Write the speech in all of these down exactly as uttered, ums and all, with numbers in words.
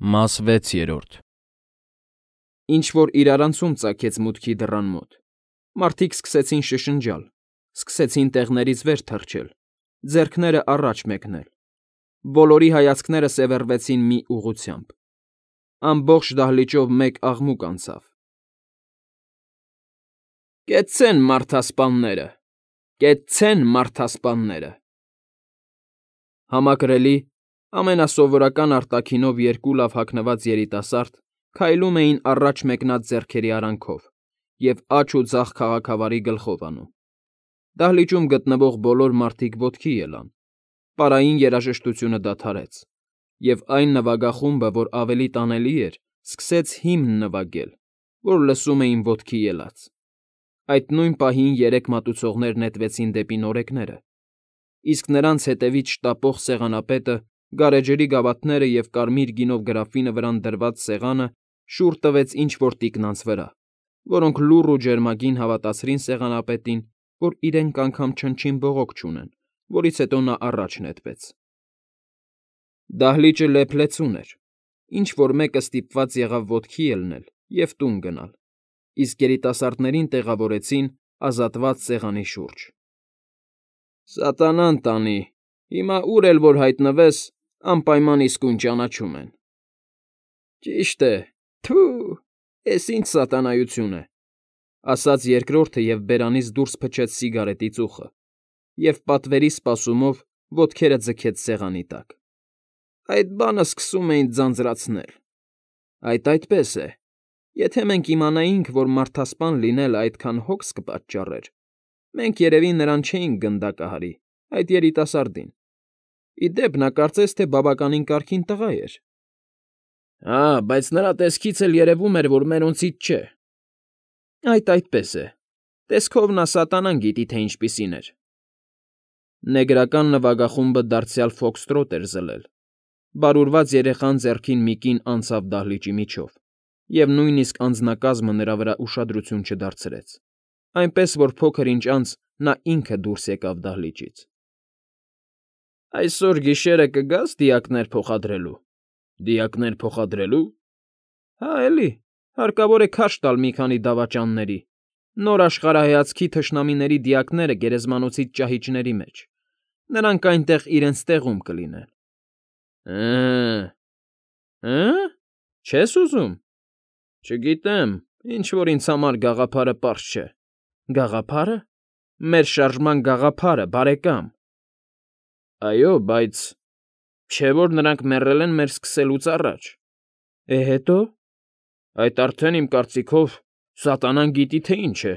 Մաս վեցերորդ Ինչ-որ իրարանցում ծագեց մուտքի դռան մոտ, մարդիկ սկսեցին շշնջալ, սկսեցին տեղներից վեր թռչել, ձեռքները առաջ մեկնել, բոլորի հայացքները սևեռվեցին մի ուղղությամբ, ամբողջ դահլիճով մեկ աղմուկ անցավ. «Կեցցե՛ն մարդասպանները, կեցցե՛ն մարդասպանները»։ Համակրելի, ամենասովորական արտաքինով երկու լավ հագնված երիտասարդ քայլում էին առաջ մեկնած ձեռքերի արանքով և աջ ու ձախ քաղաքավարի գլխով անում. դահլիճում գտնվող բոլոր մարդիկ ոտքի ելան, պարային երաժշտությունը դադարեց, և այն նվագախումբը, որ ավելի տանելի էր, սկսեց հիմն նվագել, որ լսում էին ոտքի ելած. այդ նույն պահին երեք մատուցողներ նետվեցին դեպի նորեկները, իսկ նրանց հետևից շտապող սեղանապետը, գարեջրի գավաթները և կարմիր գինով գրաֆինը վրան դրված սեղանը շուռ տվեց ինչ֊որ տիկնանց վրա, որոնք լուռ ու ջերմագին հավատացրին սեղանապետին, որ իրենք անգամ չնչին բողոք չունեն, որից հետո նա առաջ նետվեց. Դահլիճը լեփ-լեցուն էր, ինչ֊որ մեկը ստիպված եղավ ոտքի ելնել և տուն գնալ, իսկ երիտասարդներին տեղավորեցին ազատված սեղանի շուրջ։ «Սատանան տանի, հիմա ուր էլ որ հայտնվես, անպայման իսկույն ճանաչում են»։ «Ճիշտ է, թո՛ւ, էս ինչ սատանայություն է», ասաց երկրորդը և բերանից դուրս փչեց սիգարետի ծուխը և պատվերի սպասումով ոտքերը ձգեց սեղանի տակ։ «Այդ բանը սկսում էին ձանձրացնել։ Այդ այդպես է, եթե մենք իմանայինք, որ մարդասպան լինելը այդքան հոգս կպատճառեր, մենք երևի նրան չէինք գնդակահարի, այդ երիտասարդին։ Ի դեպ, նա կարծես թե բավականին կարգին տղա էր»։ «Հա, բայց նրա տեսքից էլ երևում էր, որ մերոնցից չէ»։ «Այդ այդպես է, տեսքով նա սատանան գիտի, թե ինչպիսին էր»։ Նեգրական նվագախումբը դարձյալ ֆոքսթրոթ էր ձլել, բարուրված երեխան ձեռքին մի կին անցավ դահլիճի միջով, և նույնիսկ անձնակազմը նրա վրա ուշադրություն չդարձրեց, այնպես որ փոքր ինչ անց նա ինքը դուրս եկավ դահլիճից։ «Այսօր գիշերը կգա՞ս դիակներ փոխադրելու»։ «Դիակներ փոխադրելու»։ «Հա, էլի, հարկավոր է քարշ տալ մի քանի դավաճանների, նոր աշխարհայացքի թշնամիների դիակները գերեզմանոցից ճահիճների մեջ, նրանք այնտեղ իրենց տեղում կլինեն»։ «Հը՜ը, հը՞ը, չես ուզում»։ «Չգիտեմ, ինչ֊որ ինձ համար գաղափարը պարզ չէ»։ «Գաղափա՞րը, մեր շարժման գաղափարը, բարեկամ»։ «Այո, բայց… չէ՞ որ նրանք մեռել են մեր սկսելուց առաջ»։ «Է, հետո՞։ Այդ արդեն, իմ կարծիքով, սատանան գիտի, թե ինչ է»։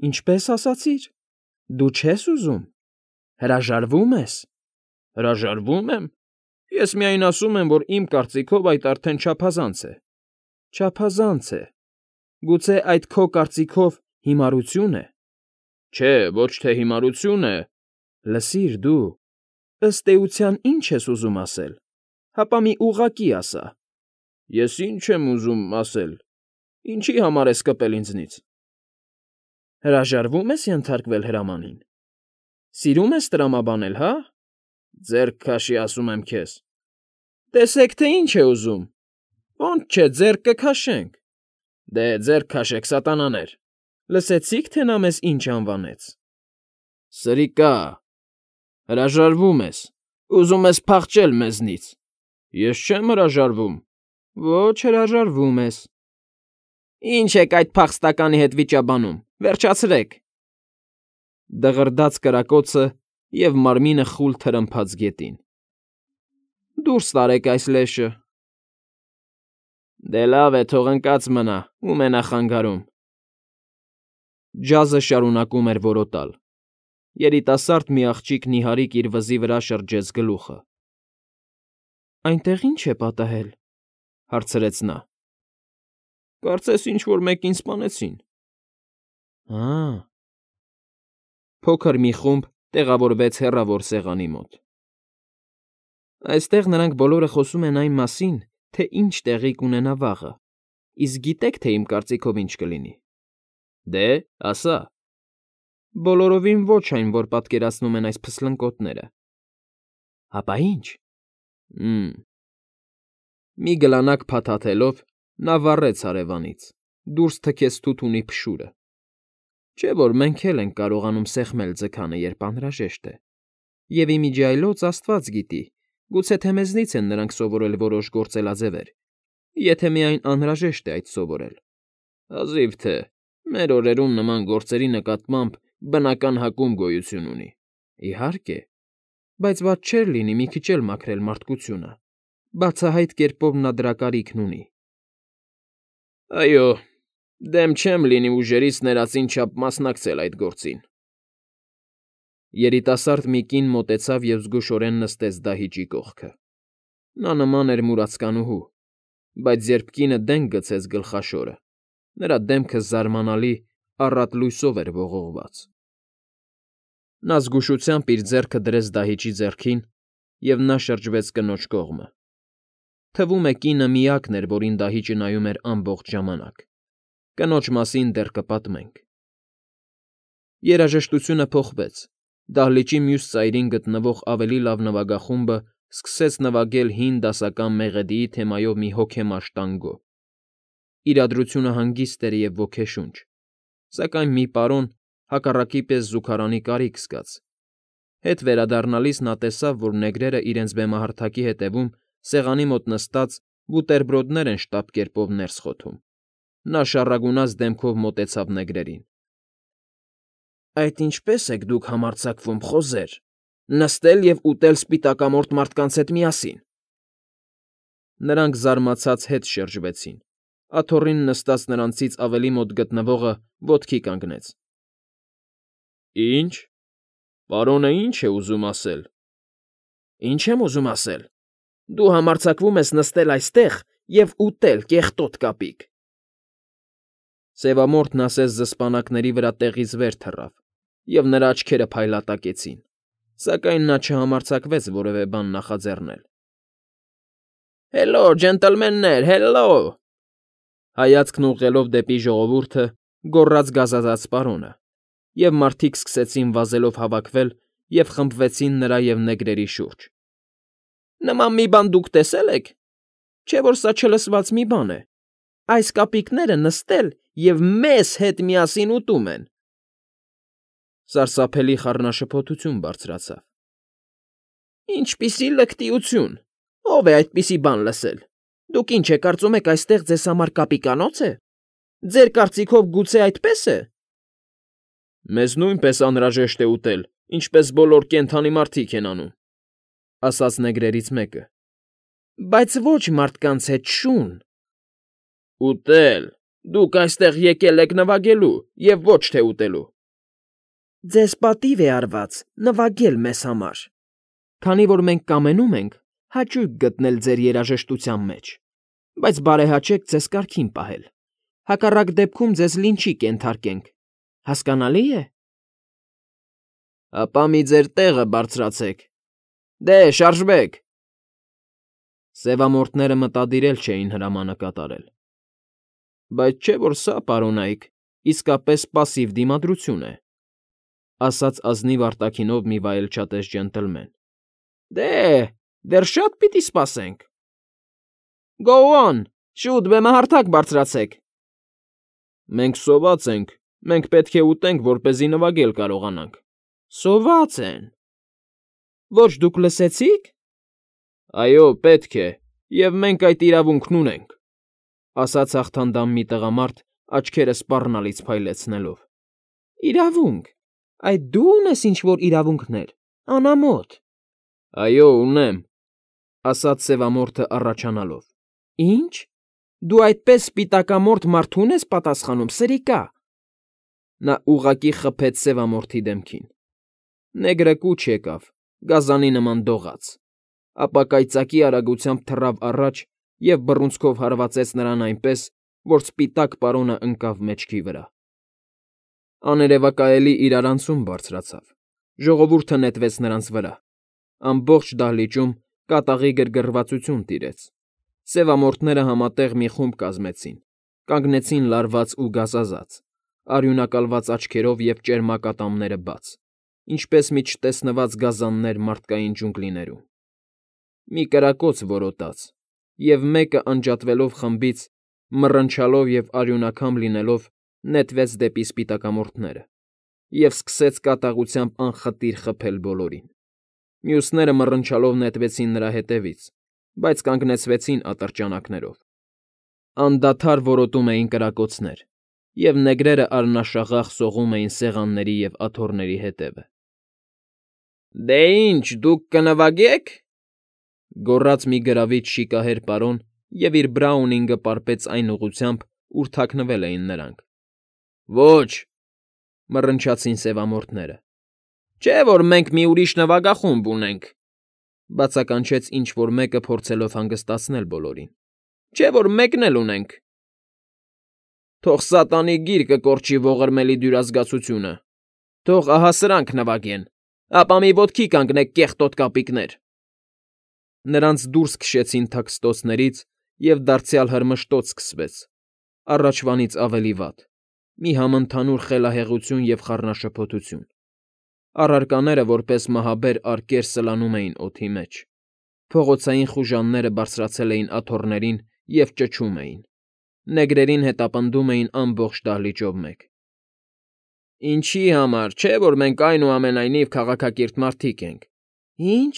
«Ինչպե՞ս ասացիր, դու չես ուզում, հրաժարվո՞ւմ ես»։ «Հրաժարվո՞ւմ եմ… Ես միայն ասում եմ, որ իմ կարծիքով այդ արդեն չափազանց է»։ «Չափազանց է… Գուցե այդ քո կարծիքով հիմարություն է»։ «Չէ, ոչ թե հիմարություն է»։ «Լսիր դու… ըստ էության ի՞նչ ես ուզում ասել, հապա մի ուղղակի ասա»։ «Ես ի՞նչ եմ ուզում ասել, ինչի՞ համար ես կպել ինձնից»։ «Հրաժարվո՞ւմ ես ենթարկվել հրամանին, սիրում ես տրամաբանել, հա՞։ Ձեռք քաշի, ասում եմ քեզ»։ «Տեսեք, թե ինչ է ուզում, ոնց չէ, ձեռք կքաշենք»։ «Դե, ձեռք քաշեք, սատանաներ»։ «Լսեցի՞ք, թե նա մեզ ինչ անվանեց»։ «Սրիկա՜… Հրաժարվո՞ւմ ես, ուզում ես փախչել մեզնից»։ «Ես չեմ հրաժարվում»։ «Ոչ, հրաժարվում ես»։ «Ի՞նչ եք այդ փախստականի հետ վիճաբանում, վերջացրեք»։ Դղրդաց կրակոցը և մարմինը խուլ թրմփաց գետին։ «Դուրս տարեք այս լեշը»։ «Դե լավ է, թող ընկած մնա, ում է նա խանգարում»։ Ջազը շարունակում էր որոտալ։ Երիտասարդ մի աղջիկ նիհարիկ իր վզի վրա շրջեց գլուխը։ «Այնտեղ ի՞նչ է պատահել», հարցրեց նա։ «Կարծես ինչ֊որ մեկին սպանեցին»։ «Հա՜»։ Փոքր մի խումբ տեղավորվեց հեռավոր սեղանի մոտ։ «Այստեղ նրանք բոլորը խոսում են այն մասին, թե ինչ տեղի կունենա վաղը, իսկ գիտե՞ք, թե իմ կարծիքով ինչ կլինի»։ «Դե, ասա»։ «Բոլորովին ոչ այն, որ պատկերացնում են այս փսլնկոտները»։ «Հապա ի՞նչ»։ «Հը՜մ… Մի գլանակ փաթաթելով նա վառեց հարևանից, դուրս թքեց թութունի փշուրը։ Չէ՞ որ մենք էլ ենք կարողանում սեղմել ձգանը, երբ անհրաժեշտ է, և իմիջիայլոց աստված գիտի, գուցե թե մեզնից են նրանք սովորել որոշ գործելաձևեր, եթե միայն անհրաժեշտ է այդ սովորել։ Հազիվ թե մեր օրերում նման գործերի նկատմամբ բնական հակում գոյություն ունի։ Իհարկե, բայց վատ չէր լինի մի քիչ էլ մաքրել մարդկությունը, բացահայտ կերպով նա դրա կարիքն ունի։ Այո, դեմ չեմ լինի ուժերից ներածին չափ մասնակցել այդ գործին։ Երիտասարդ մի կին մոտեցավ և զգուշորեն նստեց դահիճի կողքը։ Նա նման էր մուրացկանուհու, բայց երբ կինը դենք գցեց գլխաշորը, նրա դեմքը զարմանալի առատ լույսով էր ողողված։ Նա զգուշությամբ իր ձեռքը դրեց դահիճի ձեռքին, և նա շրջվեց կնոջ կողմը։ Թվում է կինը միակն էր, որին դահիճը նայում էր ամբողջ ժամանակ։ Կնոջ մասին դեռ կպատմենք։ Երաժշտությունը փոխվեց։ Դահլիճի մյուս ծայրին գտնվող ավելի լավ նվագախումբը սկսեց նվագել հին դասական մեղեդիի թեմայով մի հոգեմաշ տանգո։ Իրադրությունը հանգիստ էր և ոգեշունչ, սակայն մի պարոն հակառակի պես զուգարանի կարիք զգաց։ Հետ վերադառնալիս նա տեսավ, որ նեգրերը իրենց բեմահարթակի հետևում սեղանի մոտ նստած բուտերբրոդներ են շտապ կերպով ներս խոթում։ Նա շառագունած դեմքով մոտեցավ նեգրերին։ ֊ Այդ ինչպե՞ս եք դուք համարձակվում, խոզեր, նստել և ուտել սպիտակամորթ մարդկանց հետ միասին։ Նրանք զարմացած հետ շրջվեցին։ Աթոռին նստած նրանցից ավելի մոտ գտնվողը ոտքի կանգնեց։ ֊ Ի՞նչ, պարոնը ի՞նչ է ուզում ասել։ ֊ Ի՞նչ եմ ուզում ասել. դու համարձակվում ես նստել այստեղ և ուտել, կեղտոտ կապիկ։ Սևամորթն ասես զսպանակների վրա տեղից վեր թռավ, և նրա աչքերը փայլատակեցին, սակայն նա չհամարձակվեց որևէ բան նախաձեռնել։ ֊ Հելո, ջենտլմեններ, հելո…֊ հայացքն ուղղելով դեպի ժողովուրդը, գոռաց գազազած պարոնը, և մարդիկ սկսեցին վազելով հավաքվել և խմբվեցին նրա և նեգրերի շուրջ։ ֊ Նման մի բան դուք տեսե՞լ եք. չէ՞ որ սա չլսված մի բան է. այս կապիկները նստել և մեզ հետ միասին ուտում են… Սարսափելի խառնաշփոթություն բարձրացավ։ ֊ Ինչպիսի լկտիություն… Ո՞վ է այդպիսի բան լսել… Դուք ինչ է կարծում եք այստեղ ձեզ համար կապիկանո՞ց է… Ձեր կարծիքով գուցե այդպե՞ս է… Մեզ նույնպես անհրաժեշտ է ուտել, ինչպես բոլոր կենդանի մարդիկ են անում, ֊ ասաց նեգրերից մեկը։ ֊ Բայց ոչ մարդկանց հետ, շուն… ֊ Ուտել… Դուք այստեղ եկել եք նվագելու և ոչ թե ուտելու… ֊ Ձեզ պատիվ է արված նվագել մեզ համար, քանի որ մենք կամենում ենք հաճույք գտնել ձեր երաժշտության մեջ, բայց բարեհաճեք ձեզ կարգին պահել, հակառակ դեպքում ձեզ լինչի կենթարկենք, հասկանալի՞ է։ ֊ Ապա մի ձեր տեղը բարձրացեք… Դե, շարժվեք… Սևամորթները մտադիր էլ չէին հրամանը կատարել։ ֊ Բայց չէ՞ որ սա, պարոնայք, իսկապես պասիվ դիմադրություն է, ֊ ասաց ազնիվ արտաքինով մի վայելչատես ջենտլմեն։ ֊ Դե, դեռ շատ պիտի սպասենք… Գո օն, շուտ բեմահարթակ բարձրացեք… ֊ Մենք սոված ենք, մենք պետք է ուտենք, որպեսզի նվագել կարողանանք… ֊ Սոված են… Ոչ դուք լսեցի՞ք… ֊ Այո, պետք է, և մենք այդ իրավունքն ունենք, ֊ ասաց հաղթանդամ մի տղամարդ, աչքերը սպառնալից փայլեցնելով։ ֊ Իրավունք… Այդ դու ունես ինչ֊որ իրավունքներ… Անամոթ… ֊ Այո, ունեմ, ֊ ասաց սևամորթը առաջանալով։ ֊ Ի՞նչ… Դու այդպես սպիտակամորթ մարդու՞ն ես պատասխանում, սրիկա… Նա ուղղակի խփեց սևամորթի դեմքին։ Նեգրը կուչ եկավ, գազանի նման դողաց, ապա կայծակի արագությամբ թռավ առաջ և բռունցքով հարվածեց նրան այնպես, որ սպիտակ պարոնը ընկավ մեջքի վրա։ Աներևակայելի իրարանցում բարձրացավ, ժողովուրդը նետվեց նրանց վրա, ամբողջ դահլիճում կատաղի գրգռվածություն տիրեց։ Սևամորթները համատեղ մի խումբ կազմեցին, կանգնեցին լարված ու գազազած, արյունակալված աչքերով և ճերմակատամները բաց, ինչպես մի չտեսնված գազաններ մարդկային ջունգլիներում։ Մի կրակոց որոտաց, և մեկը անջատվելով խմբից, մռնչալով և արյունաքամ լինելով, նետվեց դեպի սպիտակամորթները և սկսեց կատաղությամբ անխտիր խփել բոլորին։ Մյուսները մռնչալով նետվեցին նրա ետևից, բայց կանգնեցվեցին ատրճանակներով։ Անդադար որոտում էին կրակոցներ, և նեգրերը արնաշաղախ սողում էին սեղանների և աթոռների ետևը։ ֊ Դե ինչ, դուք կնվագե՞ք,֊ գոռաց մի գրավիչ շիկահեր պարոն և իր բրաունինգը պարպեց այն ուղղությամբ, ուր թաքնվել էին նրանք։ ֊ Ոչ,֊ մռնչացին սևամորթները։ ֊ Չէ՞ որ մենք մի ուրիշ նվագախումբ ունենք,֊ բացականչեց ինչ֊որ մեկը, փորձելով հանգստացնել բոլորին։ ֊ Չէ՞ որ մեկն էլ ունենք։ ֊ Թող սատանի գիրկը կորչի ողորմելի դյուրասկացությունը, թող ահա սրանք նվագեն, ապա մի ոտքի կանգնեք, կեղտոտ կապիկներ… Նրանց դուրս քշեցին թաքստոցներից, և դարձյալ հրմշտոց սկսվեց, առաջվանից ավելի վատ, մի համընդհանուր խելահեղություն և խառնաշփոթություն։ Առարկաները որպես մահաբեր արկեր սլանում էին օդի մեջ, փողոցային խուժանները բարձրացել էին աթոռներին և ճչում էին, նեգրերին հետապնդում էին ամբողջ դահլիճով մեկ։ ֊ Ինչի համար, չէ՞ որ մենք այնուամենայնիվ քաղաքակիրթ մարդիկ ենք։ ֊ Ի՞նչ,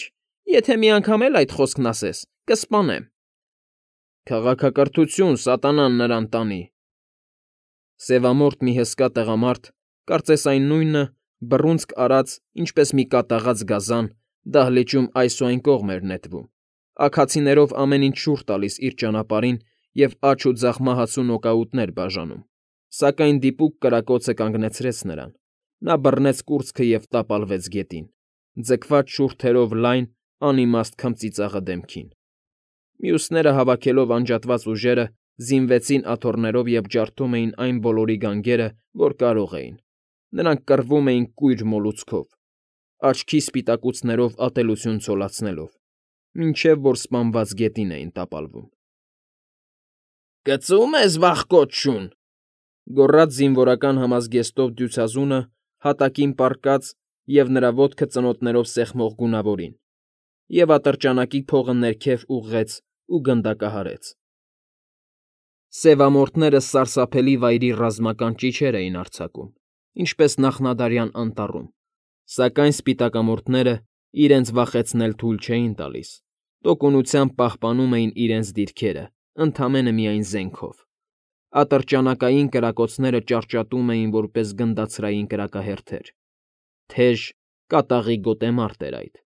եթե մի անգամ էլ այդ խոսքն ասես, կսպանեմ։ ֊ Քաղաքակրթություն սատանան նրան տանի…֊ Սևամորթ մի հսկա տղամարդ, կարծես այն նույնը, բռունցք արած, ինչպես մի կատաղած գազան, դահլիճում այս ու այն կողմ էր նետվում, աքացիներով ամեն ինչ շուռ տալիս իր ճանապարհին և աջ ու ձախ մահացու նոկաուտներ բաժանում, սակայն դիպուկ կրակոցը կանգնեցրեց նրան, նա բռնեց կուրծքը և տապալվեց գետին, ձգված շուրթերով լայն, անիմաստ քմծիծաղը դեմքին։ Մյուսները, հավաքելով անջատված ուժերը, զինվեցին աթոռներով և ջարդում էին այն բոլորի գանգերը, որ կարող էին, նրանք կռվում էին կույր մոլուցքով, աչքի սպիտակուցներով ատելություն ցոլացնելով, մինչև որ սպանված գետին էին տապալվում։ ֊ Կծո՞ւմ ես, վախկոտ շուն,֊ գոռաց զինվորական համազգեստով դյուցազունը հատակին պառկած և նրա ոտքը ծնոտներով սեղմող գունավորին, և ատրճանակի փողը ներքև ուղղեց ու գնդակահարեց։ Սևամորթները սարսափելի վայրի ռազմական ճիչեր էին արձակում, ինչպես նախնադարյան անտառում, սակայն սպիտակամորթները իրենց վախեցնել թույլ չէին տալիս, տոկունությամբ պահպանում էին իրենց դիրքերը, ընդամենը միայն զենքով։ Ատրճանակային կրակոցները ճարճատում էին որպես գնդացրային կրակահերթեր։ Թեժ, կատաղի գոտեմարտ էր այդ։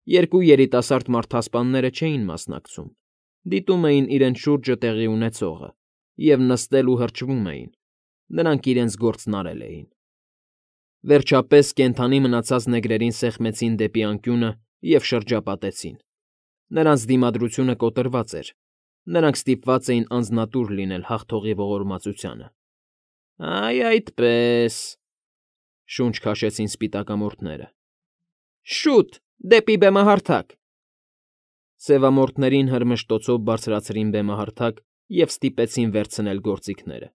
Երկու երիտասարդ մարդասպանները չէին մասնակցում, դիտում էին իրենց շուրջը տեղի ունեցողը և նստել ու հրճվում էին, նրանք իրենց գործն արել էին։ Վերջապես կենդանի մնացած նեգրերին սեղմեցին դեպի անկյունը և շրջապատեցին։ Նրանց դիմադրությունը կոտրված էր, նրանք ստիպված էին անձնատուր լինել հաղթողի ողորմածությանը։ ֊ Այ այդպես,֊ շունչ քաշեցին սպիտակամորթները։ ֊ Շուտ, դեպի բեմահարթակ… Սևամորթներին հրմշտոցով բարձրացրին բեմահարթակ և ստիպեցին վերցնել գործիքները։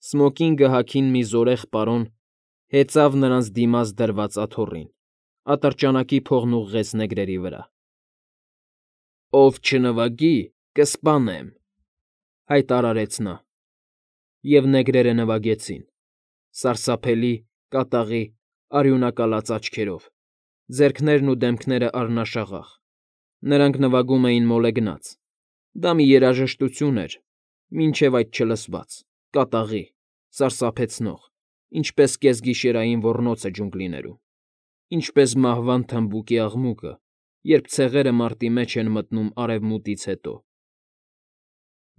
Սմոկինգը հագին մի զորեղ պարոն հեծավ նրանց դիմաց դրված աթոռին, ատրճանակի փողն ուղղեց նեգրերի վրա։ ֊ Ով չնվագի, կսպանեմ,֊ հայտարարեց նա։ Եվ նեգրերը նվագեցին՝ սարսափելի, կատաղի, արյունակալած աչքերով, ձեռքներն ու դեմքները արնաշաղախ։ Նրանք նվագում էին մոլեգնած։ Դա մի երաժշտություն էր, մինչև այդ չլսված, կատաղի, սարսափեցնող, ինչպես կեսգիշերային ոռնոցը ջունգլիներում, ինչպես մահվան թմբուկի աղմուկը, երբ ցեղերը մարտի մեջ են մտնում արևմուտքից հետո։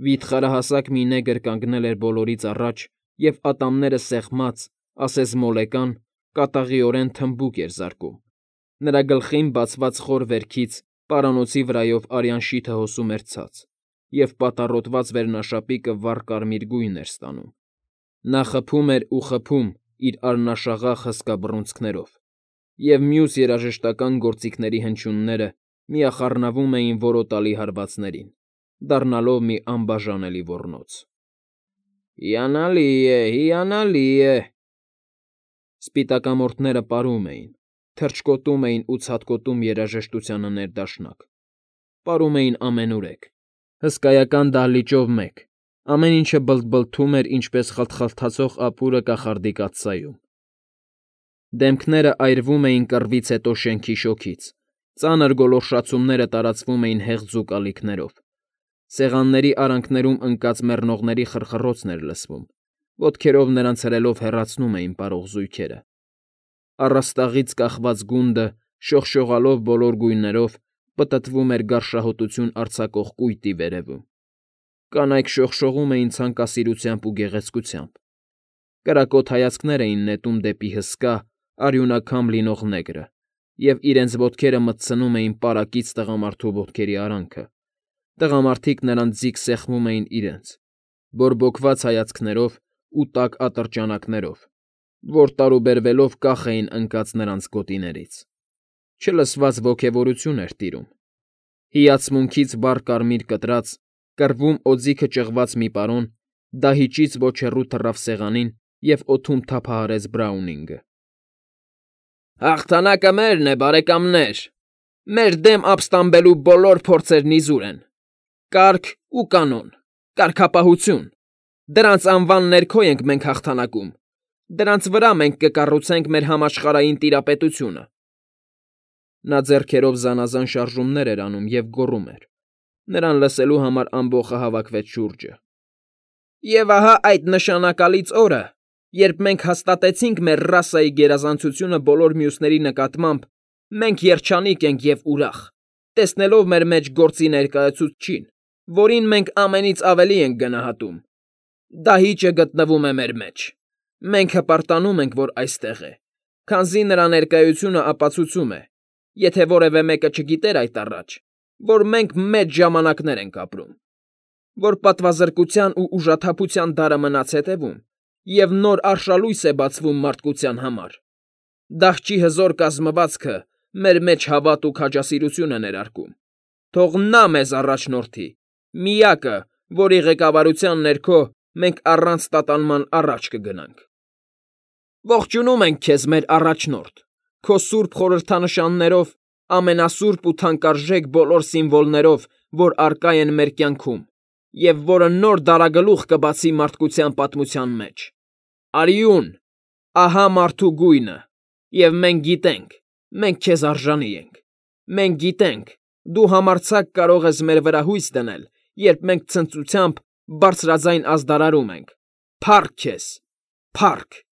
Վիթխարահասակ մի նեգր կանգնել էր բոլորից առաջ և ատամները սեղմած, ասես մոլեկան, կատաղիորեն թմբուկ էր զարկում։ Նրա գլխին բացված խոր վերքից պարանոցի վրայով արյան շիթը հոսում էր ցած, և պատառոտված վերնաշապիկը վառ կարմիր գույն էր ստանում։ Նա խփում էր ու խփում իր արնաշաղախ հսկա բռունցքներով, և մյուս երաժշտական գործիքների հնչյունները միախառնվում էին որոտալի հարվածներին, դառնալով մի անբաժանելի ոռնոց։ ֊ Հիանալի է, հիանալի է…֊ Սպիտակամորթները պարում էին, թռչկոտում էին ու ցատկոտում երաժշտությանը ներդաշնակ, պարում էին ամենուրեք, Հսկայական դահլիճով մեկ, ամեն ինչը բլթբլթում էր, ինչպես խլթխլթացող ապուրը կախարդի կաթսայում։ Դեմքները այրվում էին կռվից հետո շենքի շոգից, ծանր գոլորշացումները տարածվում էին հեղձ ու կալիքներով, սեղանների արանքներում ընկած մեռնողների խռխռոցն էր լսվում, ոտքերով նրանց հրելով հեռացնում էին պարող զույգերը։ Առաստաղից կախված գունդը, շողշողալով բոլոր գույներով, պտտվում էր գարշահոտություն արձակող կույտի վերևում։ Կանայք շողշողում էին ցանկասիրությամբ ու գեղեցկությամբ։ Կրակոտ հայացքներ էին նետում դեպի հսկա, արյունաքամ լինող նեգրը, և իրենց ոտքերը մտցնում էին պարակից տղամարդու ոտքերի արանքը։ Տղամարդիկ նրանց ձիգ սեղմում էին իրենց, բորբոքված հայացքներով ու տաք ատրճանակներով, որ տարուբերվելով կախ էին ընկած նրանց գոտիներից։ Չլսված ոգևորություն էր տիրում։ Հիացմունքից վառ կարմիր կտրած, կռվում օձիքը ճղված մի պարոն դահիճից ոչ հեռու թռավ սեղանին և օդում թափահարեց Բրաունինգը։ «Հաղթանակը մերն է, բարեկամներ, մեր դեմ ապստամբելու բոլոր փորձերն իզուր են։ Կարգ ու կանոն, կարգապահություն, դրանց անվան ներքո ենք մենք հաղթանակում, դրանց վրա մենք կկառուցենք մեր համաշխարհային տիրապետությունը»։ Նա ձեռքերով զանազան շարժումներ էր անում և գոռում էր։ Նրան լսելու համար ամբոխը հավաքվեց շուրջը։ «Եվ ահա այդ նշանակալից օրը, երբ մենք հաստատեցինք մեր ռասայի գերազանցությունը բոլոր մյուսների նկատմամբ, մենք երջանիկ ենք և ուրախ, տեսնելով մեր մեջ գործի ներկայացուցչին, որին մենք ամենից ավելի ենք գնահատում։ Դահիճը գտնվում է մեր մեջ։ Մենք հպարտանում ենք, որ այստեղ է, քանզի նրա ներկայությունը ապացուցում է, եթե որևէ մեկը չգիտեր այդ առաջ, որ մենք մեծ ժամանակներ ենք ապրում, որ պատվազրկության ու ուժաթափության դարը մնաց հետևում, և նոր արշալույս է բացվում մարդկության համար։ Դահճի հզոր կազմվածքը մեր մեջ հավատ ու քաջասիրություն է ներարկում։ Թող նա մեզ առաջնորդի, միակը, որի ղեկավարության ներքո մենք առանց տատանման առաջ կգնանք։ Ողջունում ենք քեզ, մեր առաջնորդ, քո սուրբ խորհրդանշաններով, ամենասուրբ ու թանկարժեք բոլոր սիմվոլներով, որ առկա են մեր կյանքում, և որը նոր դարագլուխ կբացի մարդկության պատմության մեջ։ Արիուն, ահա մարդու գույնը, և մենք գիտենք, մենք քեզ արժանի ենք։ Մենք գիտենք, դու համարձակ կարող ես մեր վրա հույս դնել, երբ մենք ցնծությամբ բարձրաձայն ազդարարում ենք. «Փա՜ռք քեզ, փա՜ռք»։